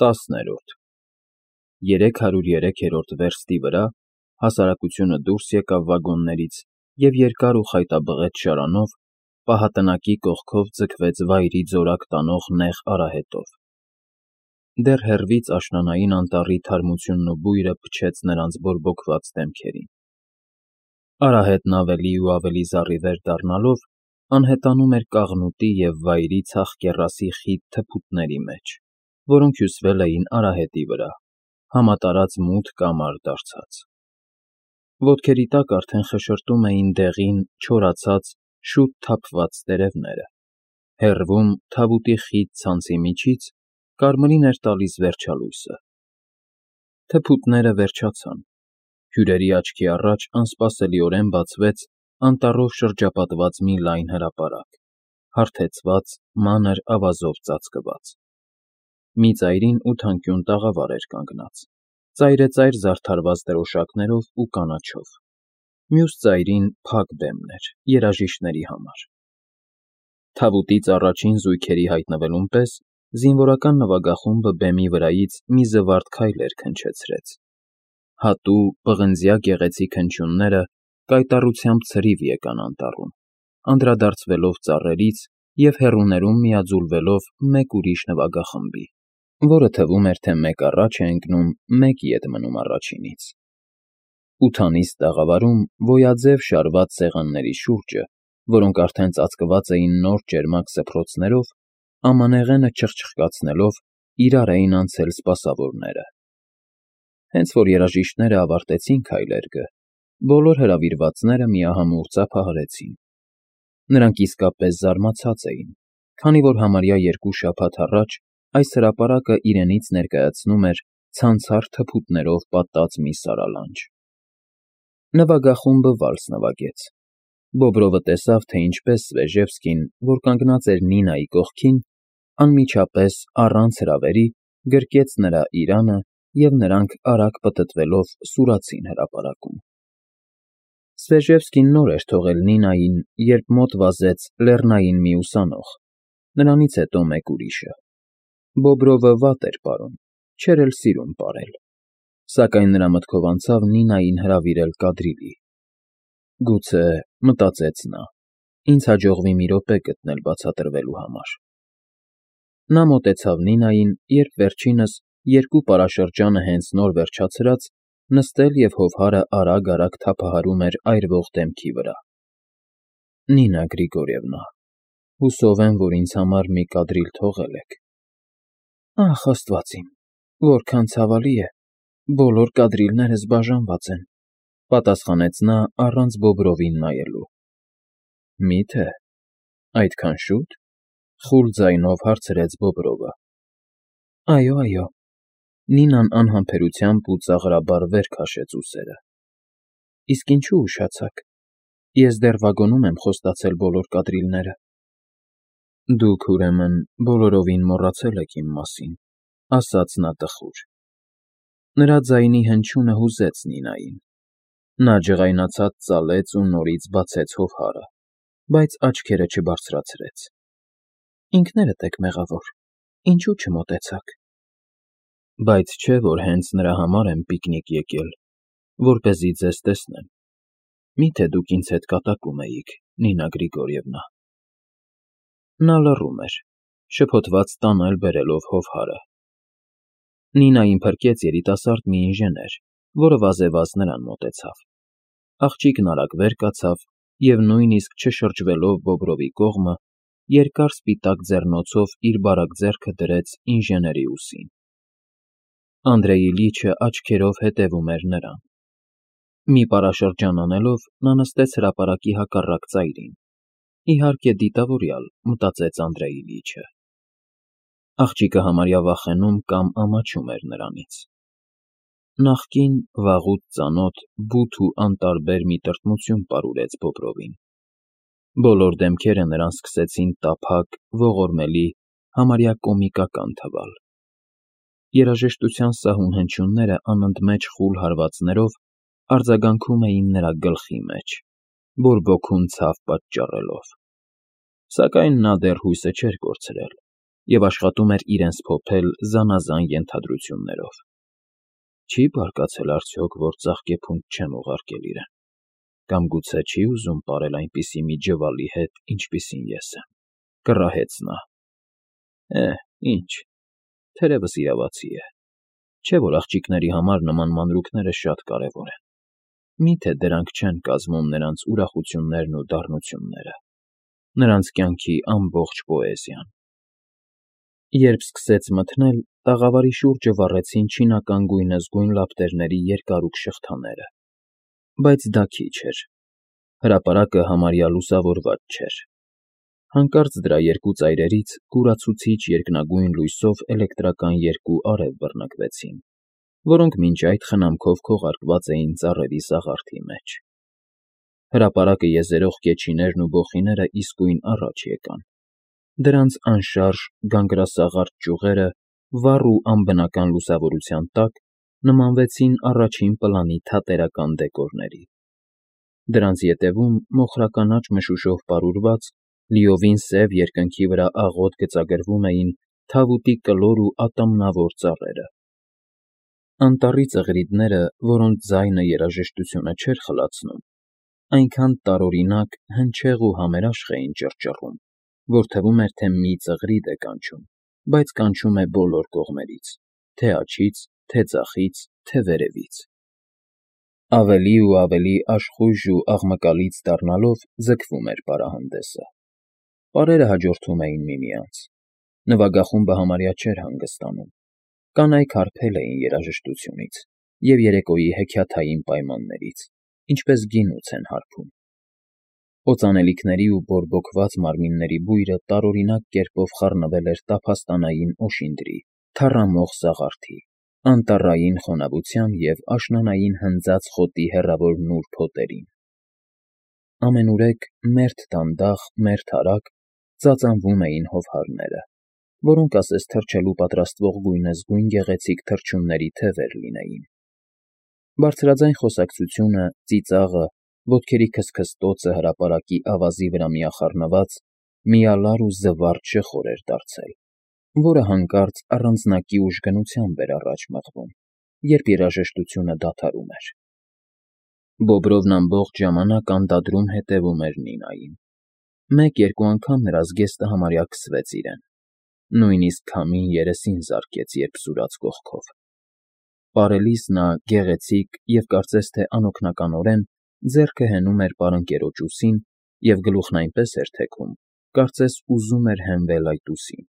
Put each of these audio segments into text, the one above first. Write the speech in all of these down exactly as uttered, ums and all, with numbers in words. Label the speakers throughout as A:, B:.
A: Տասներորդ Երեք հարյուր երեքերորդ վերստի վրա հասարակությունը դուրս եկավ վագոններից և երկար ու խայտաբղետ շարանով, պահատնակի կողքով ձգվեց վայրի ձորակ տանող նեղ արահետով. դեռ հեռվից աշնանային անտառի թարմությունն ու բույրը փչեց նրանց բորբոքված դեմքերին. արահետն ավելի ու ավելի զառիվեր դառնալով, անհետանում էր կաղնուտի և վայրի ցախ կեռասի խիտ թփուտների մեջ, որոնք հյուսվել էին արահետի վրա, համատարած մութ կամար դարձած. ոտքերի տակ արդեն խշշրտում էին դեղին, չորացած, շուտ թափված տերևները, հեռվում, թավուտի խիտ ցանցի միջից, կարմրին էր տալիս վերջալույսը. թփուտները վերջացան, հյուրերի աչքի առաջ անսպասելիորեն բացվեց անտառով շրջապատված մի լայն հրապարակ, հարթեցված, մանր ավազով ծածկված. մի ծայրին ութանկյուն տաղավար էր կանգնած, ծայրեծայր զարդարված դրոշակներով ու կանաչով, մյուս ծայրին փակ բեմներ, երաժիշտների համար. թավուտից առաջին զույգերի հայտնվելուն պես զինվորական նվագախումբը բեմի վրայից մի զվարթ քայլեր քնչեցրեց. հատու, պղնձյա գեղեցիկ հնչյունները կայտառությամբ ցրիվ եկան անտառում, անդրադարձվելով ծառերից և հեռուներում միաձուլվելով մեկ ուրիշ նվագախմբի, որը թվում էր, թե մեկ առաջ է ընկնում, մեկ ետ մնում առաջինից. ութանիստ տաղավարում գոյաձև շարված սեղանների շուրջը, որոնք արդեն ծածկված էին նոր ճերմակ սփռոցներով, ամանեղենը չխչխկացնելով, իրար էին անցել սպասավորները. հենց որ երաժիշտները ավարտեցին քայլերգը, բոլոր հրավիրվածները միահամուռ ծափահարեցին. նրանք իսկապես զարմացած էին, քանի որ համարյա երկու շաբաթ առաջ այս հրապարակը իրենից ներկայացնում էր ցանցառ թփուտներով պատած մի սարալանջ. Նվագախումբը վալս նվագեց. Բոբրովը տեսավ, թե ինչպես Svezhevsky-ն, որ կանգնած էր Նինայի կողքին, անմիջապես, առանց հրավերի, գրկեց նրա իրանը և նրանք արագ պտտվելով սուրացին հրապարակում. Svezhevsky-ն նոր էր թողել Նինային, երբ մոտ վազեց լեռնային մի ուսանող, նրանից հետո մեկ ուրիշը. Բոբրովը վատ էր պարում, չէր էլ սիրում պարել, սակայն նրա մտքով անցավ Նինային հրավիրել կադրիլի. գուցե, մտածեց նա, ինձ հաջողվի մի րոպե գտնել բացատրվելու համար: Նա մոտեցավ Նինային, երբ վերջինս, երկու պարաշրջանը հենց նոր վերջացրած, նստել և հովհարը արագ֊արագ թափահարում էր այրվող դեմքի վրա: Նինա Գրիգորիևնա, հուսով եմ, որ ինձ համար մի կադրիլ թողել եք: Ախ, Աստված իմ, որքան ցավալի է, բոլոր կադրիլներս բաժանված են, պատասխանեց նա առանց Բոբրովին նայելու: Մի՞թե, այդքան շո՞ւտ, խուլ ձայնով հարցրեց Բոբրովը: Այո, այո, Նինան անհամբերությամբ ու ծաղրաբար վեր քաշեց ուսերը: Իսկ ինչու ուշացաք, ես դեռ վագոնում եմ խոստացել բոլոր կադրիլները: Դուք, ուրեմն, բոլորովին մոռացել եք իմ մասին, ասաց նա տխուր: Նրա ձայնի հնչյունը հուզեց Նինային: Նա ջղայնացած ծալեց ու նորից բացեց հովհարը, բայց աչքերը չբարձրացրեց: Ինքներդ եք մեղավոր, ինչու չմոտեցաք: Բայց չէ՞ որ հենց նրա համար եմ պիկնիկ եկել, որպեսզի ձեզ տեսնեմ: Մի՞թե դուք ինձ հետ կատակում էիք, Նինա Գրիգորիևնա: Նա լռում էր, շփոթված տանել բերելով հովհարը: Նինային փրկեց երիտասարդ մի ինժեներ, որը վազեվազ նրան մոտեցավ: Աղջիկն արագ վեր կացավ և նույնիսկ չշրջվելով Բոբրովի կողմը, երկար սպիտակ ձեռնոցով իր բարակ ձեռքը դրեց ինժեների ուսին: Անդրեի լիճը աչքերով հետևում էր նրան: Մի պարաշրջան անելով, նա նստեց հրապարակի հակառակ ծայրին, իհարկե դիտավորյալ, մտածեց Անդրեի լիճը: Աղջիկը համարյա վախենում կամ ամաչում էր նրանից: Նախկին, վաղուց ծանոթ, բութ ու անտարբեր մի տրտմություն պարուրեց Բոբրովին: Բոլոր դեմքերը նրան սկսեցին տափակ, ողորմելի, համարյա կոմիկական թվալ: Երաժշտության սահուն հնչյունները անընդմեջ խուլ հարվածներով արձագանքում էին նրա գլխի մեջ, բորբոքում ցավ պատճառելով: Սակայն նա դեռ հույսը չէր կորցրել: և աշխատում էր իրենց փոփել զանազան ենթադրություններով. Չի՞ բարկացել արդյոք, որ ծաղկեփունջ չեմ ուղարկել իրեն, կամ գուցե չի՞ ուզում պարել այնպիսի մի ջվալի հետ, ինչպիսին ես եմ, կռահեց նա։ Է՛հ, ինչ, թերևս իրավացի է, չէ՞ որ աղջիկների համար նման մանրուքները շատ կարևոր են, մի՞թե դրանք չեն կազմում նրանց ուրախություններն ու դառնությունները, նրանց կյանքի ամբողջ պոեզիան։ Երբ սկսեց մթնել, տաղավարի շուրջը վառեցին չինական գույնզգույն լապտերների երկարուք շղթաները, բայց դա քիչ էր, հրապարակը համարյա լուսավորված չէր։ Հանկարծ դրա երկու ծայրերից կուրացուցիչ երկնագույն լույսով էլեկտրական երկու արև բռնկվեցին, որոնք մինչ այդ խնամքով քողարկված էին ծառերի սաղարթի մեջ։ Հրապարակը եզերող կեչիներն ու բոխիները իսկույն առաջ եկան։ Դրանց անշարժ գանգրասաղարթ ճյուղերը վառ ու անբնական լուսավորության տակ նմանվեցին առաջին պլանի թատերական դեկորների։ Դրանց ետևում մոխրականաչ մշուշով պարուրված, լիովին սև երկնքի վրա աղոտ գծագրվում էին թավուտի կլոր ու ատամնավոր ծառերը։ Անտառի ծղրիդները, որոնց ձայնը երաժշտությունը չէր խլացնում, այնքան տարօրինակ, հնչեղ ու համերաշխ էին ճռճռում, որ թվում էր, թե մի ծղրիդ է կանչում, բայց կանչում է բոլոր կողմերից, թե՛ աջից, թե՛ ձախից, թե՛ վերևից։ Ավելի ու ավելի աշխույժ ու աղմկալից դառնալով ձգվում էր պարահանդեսը։ Պարերը հաջորդում էին միմյանց։ Նվագախումբը համարյա չէր հանգստանում։ Կանայք հարբել էին երաժշտությունից և երեկոյի հեքիաթային պայմաններից, ինչպես գինուց են հարբում։ Օծանելիքների ու բորբոքված մարմինների բույրը տարօրինակ կերպով խառնվել էր տափաստանային օշինդրի, թառամող սաղարթի, անտառային խոնավության և աշնանային հնձած խոտի հեռավոր նուրբ հոտերին։ Ամենուրեք, մերթ դանդաղ, մերթ արագ ծածանվում էին հովհարները, որոնք ասես թռչելու պատրաստվող գույնզգույն գեղեցիկ թռչունների թևեր լինեին։ Բարձրաձայն խոսակցությունը, ծիծաղը, ոտքերի քստքստոցը հրապարակի ավազի վրա միախառնված միալար ու զվարճ շխոր էր դարձել, որը հանկարծ առանձնակի ուժգնությամբ էր առաջ մղվում, երբ երաժշտությունը դադարում էր։ Բոբրովն ամբողջ ժամանակ անդադրում հետևում էր Նինային։ Մեկ֊երկու անգամ նրա զգեստը համարյա քսվեց իրեն, նույնիսկ քամին երեսին զարկեց, երբ սուրաց կողքով։ Պարելիս նա գեղեցիկ և կարծես թե անօգնականորեն ձեռքը հենում էր պարընկերոջ ուսին և գլուխն այնպես էր թեքում, կարծես ուզում էր հենվել այդ ուսին։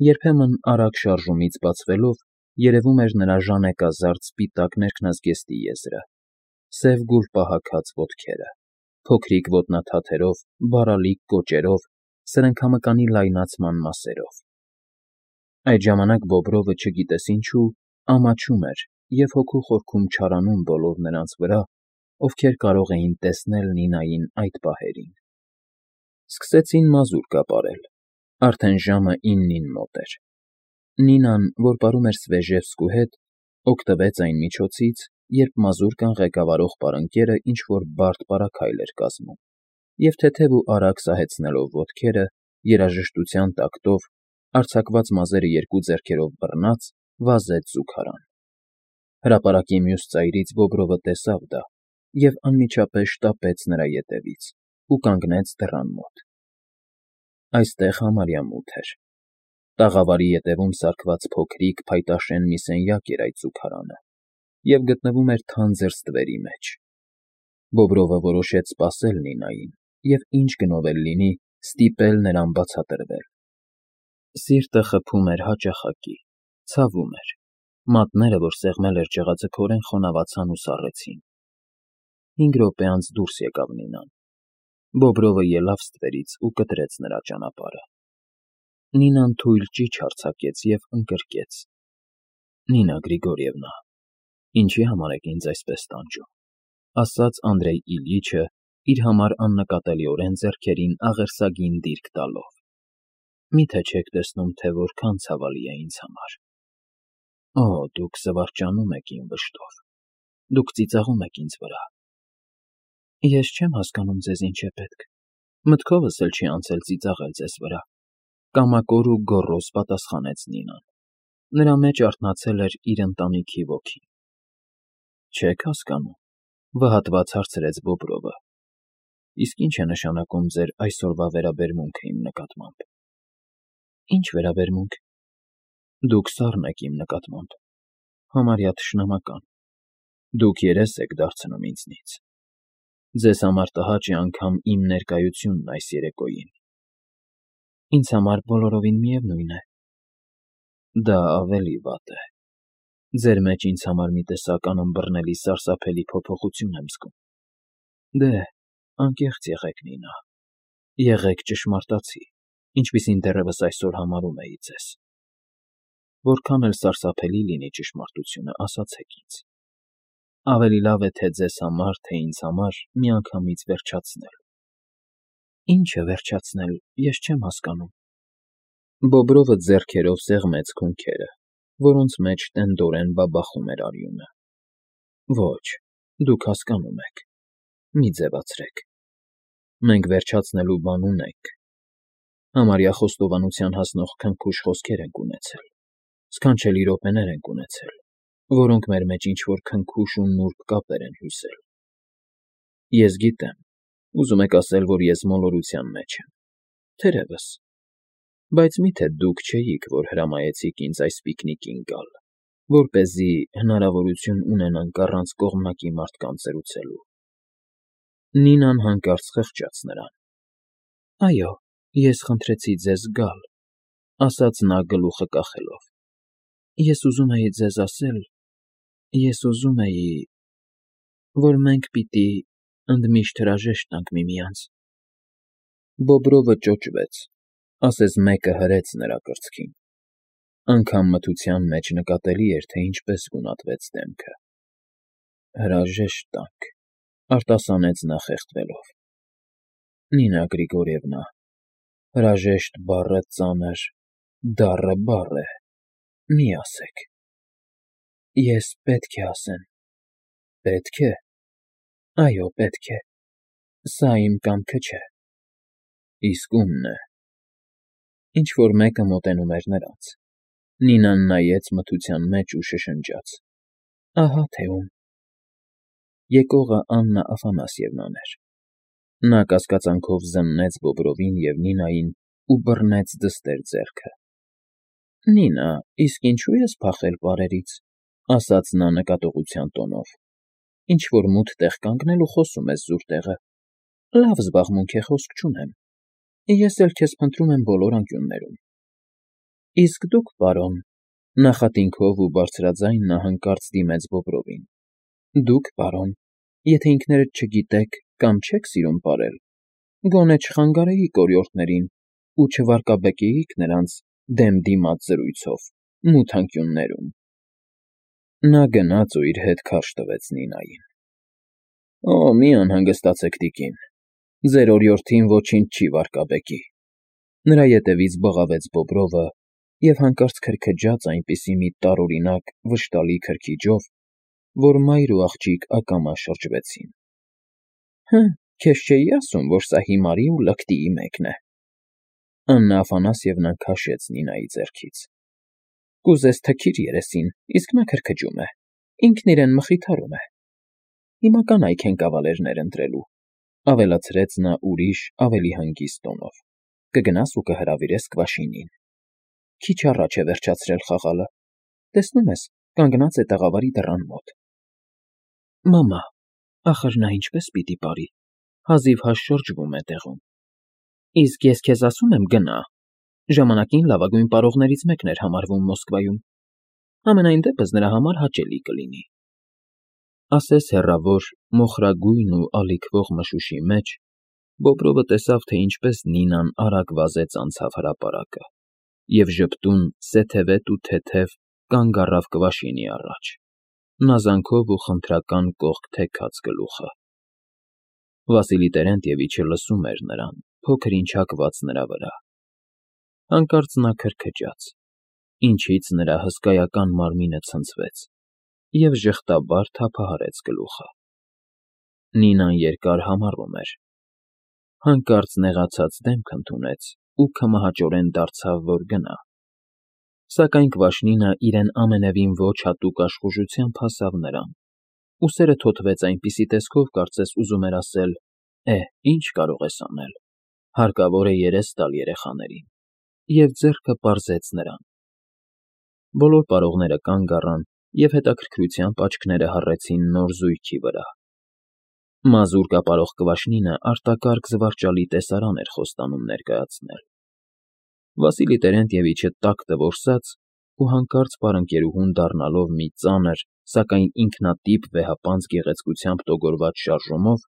A: Երբեմն արագ շարժումից բացվելով երևում էր նրա ժանեկազարդ սպիտակ ներքնազգեստի եզրը, սև գուլպահագած ոտքերը, փոքրիկ ոտնաթաթերով, բարալիկ կոճերով, սրընքամկանի լայնացման մասերով։ Այդ ժամանակ Բոբրովը, չգիտես ինչու, ամաչում էր և հոգու խորքում չարանում բոլոր նրանց վրա, ովքեր կարող էին տեսնել Նինային այդ պահերին։ Սկսեցին մազուրկա պարել, արդեն ժամը իննին մոտ էր։ Նինան, որ պարում էր Սվեժևսկու հետ, օգտվեց այն միջոցից, երբ մազուրկան ղեկավարող պարընկերը ինչ֊որ բարդ պարագայլ էր կազմում, և թեթև ու արագ սահեցնելով ոտքերը, երաժշտության տակտով, արձակված մազերը երկու ձեռքերով բռնած, վազեց զուգարան։ Հրապարակի մյուս ծայրից Բոբրովը տեսավ դա և անմիջապես շտապեց նրա ետևից ու կանգնեց դռան մոտ։ Այստեղ համարյա մութ էր։ Տաղավարի ետևում սարքված փոքրիկ, փայտաշեն մի սենյակ էր այդ զուգարանը և գտնվում էր թանձր ստվերի մեջ։ Բոբրովը որոշեց սպասել Նինային և, ինչ գնով էլ լինի, ստիպել նրան բացատրվել։ Սիրտը խփում էր հաճախակի, ցավում էր, մատները, որ սեղմել էր ջղաձգորեն, խոնավացան ու սառեցին։ Հինգ րոպե անց դուրս եկավ Նինան։ Բոբրովը ելավ ստվերից ու կտրեց նրա ճանապարհը։ Նինան թույլ ճիչ արձակեց և ընկրկեց. Նինա Գրիգորիևնա, ինչի՞ համար եք ինձ այսպես տանջում, ասաց Անդրեյ Իլյիչը, իր համար աննկատելիորեն ձեռքերին աղերսագին դիրք տալով։ Մի՞թե չեք տեսնում, թե որքան ցավալի է ինձ համար։ Օ, դուք զվարճանում եք իմ վշտով, դուք ծիծաղում եք ինձ վրա։ Ես չեմ հասկանում ձեզ ինչ է պետք, մտքովս էլ չի անցել ծիծաղել ձեզ վրա, Կամակոր ու գոռոզ պատասխանեց Նինան։ Նրա մեջ արթնացել էր իր ընտանիքի ոգին։ Չեք հասկանում, վհատված հարցրեց Բոբրովը։ Իսկ ի՞նչ է նշանակում ձեր այսօրվա վերաբերմունքը իմ նկատմամբ։ Ինչ վերաբերմունք։ Դուք սառն եք իմ նկատմամբ, համարյա թշնամական։ Դուք երես եք դարձնում ինձնից։ Ձեզ համար տհաճ է անգամ իմ ներկայությունն այս երեկոյին։ Ինձ համար բոլորովին միևնույն է։ Դա ավելի վատ է։ Ձեր մեջ ինձ համար մի տեսակ անըմբռնելի սարսափելի փոփոխություն եմ զգում։ Դե, անկեղծ եղեք, Նինա։ Եղեք ճշմարտացի, ինչպիսին դեռևս այսօր համարում էի ձեզ։ Որքան էլ սարսափելի լինի ճշմարտությունը, ասացեք ինձ։ Ավելի լավ է թե ձեզ համար, թե ինձ համար միանգամից վերջացնել։ Ինչ է վերջացնել, ես չեմ հասկանում։ Բոբրովը ձեռքերով սեղմեց քունքերը, որոնց մեջ տենդորեն բաբախում էր արյունը։ Ոչ, դուք հասկանում եք։ Մի ձևացրեք։ Մենք վերջացնելու բան ունենք։ Համարյա խոստովանության հասնող քնքուշ խոսքեր ենք ունեցել, սքանչելի րոպեներ ենք ունեցել, որոնք մեր մեջ ինչ-որ քնքուշ ու նուրբ կապեր են հյուսել։ Ես գիտեմ, ուզում եք ասել, որ ես մոլորության մեջ եմ։ Թերևս։ Բայց մի՞թե դուք չէիք, որ հրամայեցիք ինձ այս պիկնիկին գալ, որպեսզի հնարավորություն ունենանք առանց կողմնակի մարդկանց զրուցելու։ Նինան հանկարծ խղճաց նրան։ Այո, ես խնդրեցի ձեզ գալ, ասաց նա գլուխը կախելով։ Ես ուզում էի ձեզ ասել, ես ուզում էի, որ մենք պիտի ընդմիշտ հրաժեշտ տանք միմյանց։ Բոբրովը ճոճվեց, ասես մեկը հրեց նրա կրծքին։ Անգամ մթության մեջ նկատելի էր, թե ինչպես գունատվեց դեմքը։ Հրաժեշտ տանք, արտասանեց նա խեղդվելով։ Նինա Գրիգորիևնա, հրաժեշտ բառը ծանր, դառը բառ է, մի ասեք։ Ես պետք է ասեմ։ Պետք է։ Այո, պետք է։ Սա իմ կամքը չէ։ Իսկ ումն է։ Ինչ-որ մեկը մոտենում էր նրանց։ Նինան նայեց մթության մեջ ու շշնջաց. Ահա թե ում։ Եկողը Աննա Աֆանասьևնան էր։ Նա կասկածանքով զննեց Բոբրովին և Նինային ու բռնեց դստեր ձեռքը։ Նինա, իսկ ինչու ես փախել պարերից, ասաց նա նկատողության տոնով։ Ինչ-որ մութ տեղ կանգնել ու խոսում ես զուր տեղը։ Լավ զբաղմունք է, խոսք չունեմ։ Ես էլ քեզ փնտրում եմ բոլոր անկյուններում։ Իսկ դուք, պարոն, նախատինքով ու բարձրաձայն նա հանկարծ դիմեց Բոբրովին։ Դուք, պարոն, եթե ինքներդ չգիտեք կամ չեք սիրում պարել, գոնե չխանգարեիք օրիորդներին ու չվարկաբեկեիք նրանց դեմ դիմաց զրույցով, մութ անկյուններում։ Նա գնաց ու իր հետ քարշ տվեց Նինային։ Օ, մի անհանգստացեք, տիկին, ձեր օրիորդին ոչինչ չի վարկաբեկի։ Նրա ետևից բղավեց Բոբրովը և հանկարծ քրքջաց այնպիսի մի տարօրինակ, վշտալի քրքիջով, որ մայր ու աղջիկ ակամա շրջվեցին։ Հը, քեզ չէի ասում, որ սա հիմարի ու լկտիի մեկն է։ Աննա Աֆանասьևնան քաշեց Նինայի ձեռքից։ Կուզես թքիր երեսին, իսկ նա քրքջում է, ինքն իրեն մխիթարում է։ Հիմա կանայք են կավալերներ ընտրելու, ավելացրեց նա ուրիշ, ավելի հանգիստ տոնով։ Կգնաս ու կհրավիրես Կվաշինին։ Քիչ առաջ է վերջացրել խաղալը։ Տեսնում ես, կանգնած է տաղավարի դռան մոտ։ Մամա, ախր նա ինչպես պիտի ապրի, հազիվ-հազ շրջվում է տեղում։ Իսկ ես քեզ ասում եմ գնա։ Ժամանակին լավագույն պարողներից մեկն էր համարվում Մոսկվայում։ Համենայն դեպս նրա համար հաճելի կլինի։ Ասես հեռավոր, մոխրագույն ու ալիքվող մշուշի մեջ Բոբրովը տեսավ, թե ինչպես Նինան արագ վազեց անցավ հրապարակը և ժպտուն, սեթևետ ու թեթև կանգ առավ Կվաշինի առաջ, նազանքով ու խնդրական կողք թեքած գլուխը։ Վասիլի Տերենտիևիչը լսում էր նրան, փոքր-ինչ հակված նրա վրա։ Հանկարծ նա քրքջաց, ինչից նրա հսկայական մարմինը ցնցվեց և ժխտաբար թափահարեց գլուխը։ Նինան երկար համառում էր։ Հանկարծ նեղացած դեմք ընդունեց ու քմահաճորեն դարձավ, որ գնա։ Սակայն Կվաշնինը իրեն ամենևին ոչ հատուկ աշխուժությամբ հասավ նրան, ուսերը թոթվեց այնպիսի տեսքով, կարծես ուզում էր ասել. «Է, ի՞նչ կարող ես անել, հարկավոր է երես տալ երեխաներին», և ձեռքը պարզեց նրան։ Բոլոր պարողները կանգ առան և հետաքրքրությամբ աչքները հառեցին նոր զույգի վրա։ Մազուր կապարող Կվաշնինը արտակարգ զվարճալի տեսարան էր խոստանում ներկայացնել։ Վասիլի Տերենտիևիչը տաք տվորսած ու հանկարծ պարընկերուհուն դառնալով մի ծանր, սակայն ինքնատիպ վեհապանծ գեղեցկությամբ տոգորված շարժումով,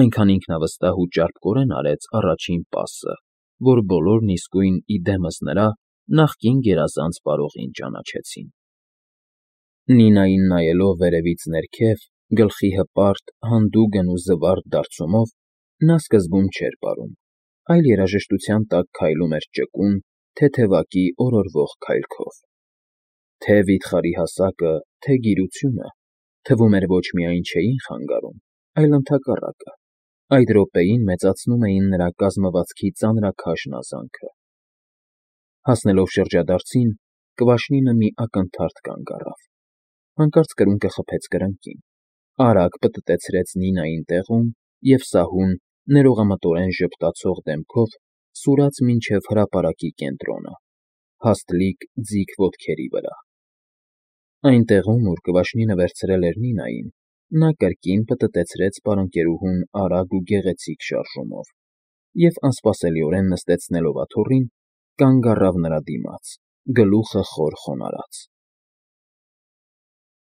A: այնքան ինքնավստահ ու ճարպկորեն արեց առաջին պասը, որ բոլորն իսկույն ի դեմս նրա նախկին գերազանց պարողին ճանաչեցին։ Նինային նայելով վերևից ներքև, գլխի հպարտ, հանդուգն ու զվարթ դարձումով, նա սկզբում չէր պարում, այլ երաժշտության տակ քայլում էր ճկուն, թեթևակի օրորվող քայլքով։ Թե՛ վիթխարի հասակը, թե՛ գիրությունը, թվում էր, ոչ միայն չէին խանգարում, այլ ընդհակառակը, այդ րոպեին մեծացնում էին նրա կազմվածքի ծանրաքաշ նազանքը։ Հասնելով շրջադարձին, Կվաշնինը մի ակնթարթ կանգ առավ, հանկարծ կրունկը խփեց կրկին, արագ պտտեցրեց Նինային տեղում և սահուն, ներողամտորեն ժպտացող դեմքով սուրաց մինչև հրապարակի կենտրոնը, հաստլիկ, ձիգ ոտքերի վրա։ Այնտեղում, ուր Կվաշնինը վերցրել էր Նինային, նա կրկին պտտեցրեց պարընկերուհուն արագ ու գեղեցիկ շարժումով և, անսպասելիորեն նստեցնելով աթոռին, կանգ առավ նրա դիմաց, գլուխը խոր խոնարհած։